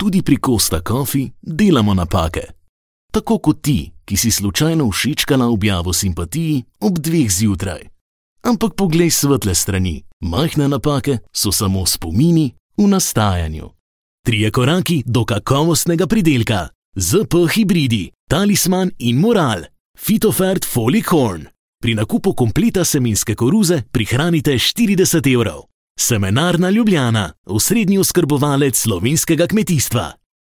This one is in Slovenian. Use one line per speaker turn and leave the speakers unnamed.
Tudi pri Costa Coffee delamo napake. Tako kot ti, ki si slučajno všečkala objavo simpatiji ob 2 zjutraj. Ampak poglej svetle strani, majhne napake so samo spomini v nastajanju. 3 koraki do kakovostnega pridelka. ZP hibridi, Talisman in Moral. Phytofert Folicorn. Pri nakupu kompleta semenske koruze prihranite 40 €. Semenarna Ljubljana, osrednji oskrbovalec slovenskega kmetijstva.